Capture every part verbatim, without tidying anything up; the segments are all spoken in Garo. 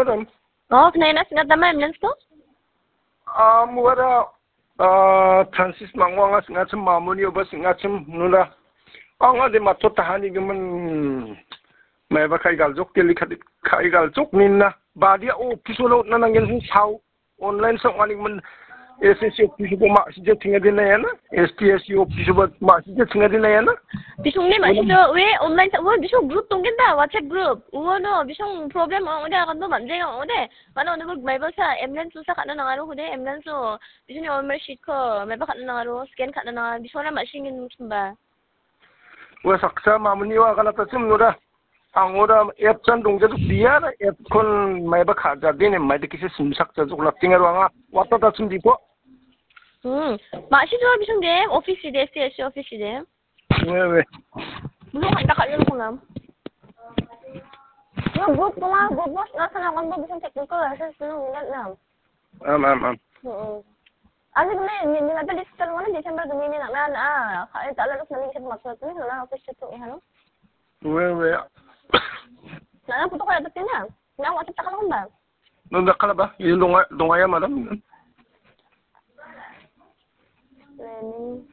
Madam. Oh, kena ina singat nama ambulance to? Ah, muara, ah, Francis Mango anga singachim, Mamuni oba singachim, nuna. Anga de matto tahani gimin. Maiba kai galjok, teli kai, kai galjok ninna. Badia office lo na nangin sau. Online sa ong·ani gimin S S C office-oba ma·sija chingade naiana, S T S C office-oba ma·sija chingade naiana. Bisong ne ma·sija, we online sa, we bisong group tonggen da, WhatsApp group. Uono bisong problem ong·ode aganto manje ong·ode. Mano ono maiba sa ambulance sa ka·na nangaro kode, ambulance o bisongni O M R sheet ko maiba ka·na nangaro, scan ka·na nangaro, bisongna ma·singin simba. Ua saksa mamuni ua aganatachim noda. Ang oda app-chan dongjajok dia, app-kon maiba ka·jadin, maidakisa simsakjajok, nating aro anga watatasim dipo. Hmm. Ma·sija bisong de, office de, S T S C office de. We, we. Belum ada kat yang kunam. Yo, group kuma, group bos, nasa na kon bo bisong technical, nasa sinu minat nam. Am, am, am. Mm-mm. Ani gumi ni, ni mata digital mana December gumi ni nak na, na, ka, eh, tak lalu kami kita maksud ni, na office itu ya, no? We, we. Na, na, foto kaya tapi na. Na, WhatsApp tak kalau ba? No, tak kalau ba? Ini donga, donga ya, madam. Planning.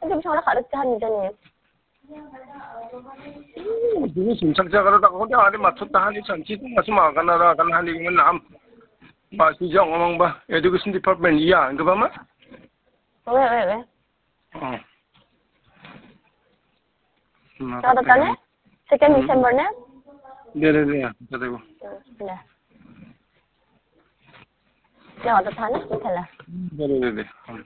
Aduh, bisa orang kat dekat ni, ni. Hmm, dulu simsakja karo tak kau dia ada maksud tahan ni sanchi tu masih makan ada akan hani menam. Masih jauh ngomong bah, education department, iya, enggak apa mah? Weh, weh, weh. Hmm. Kau datang ni? Second December ni? Dia, dia, dia, kata aku. Hmm, dah. Kau datang ni? Betul lah. Dia, dia, dia, dia. Hmm.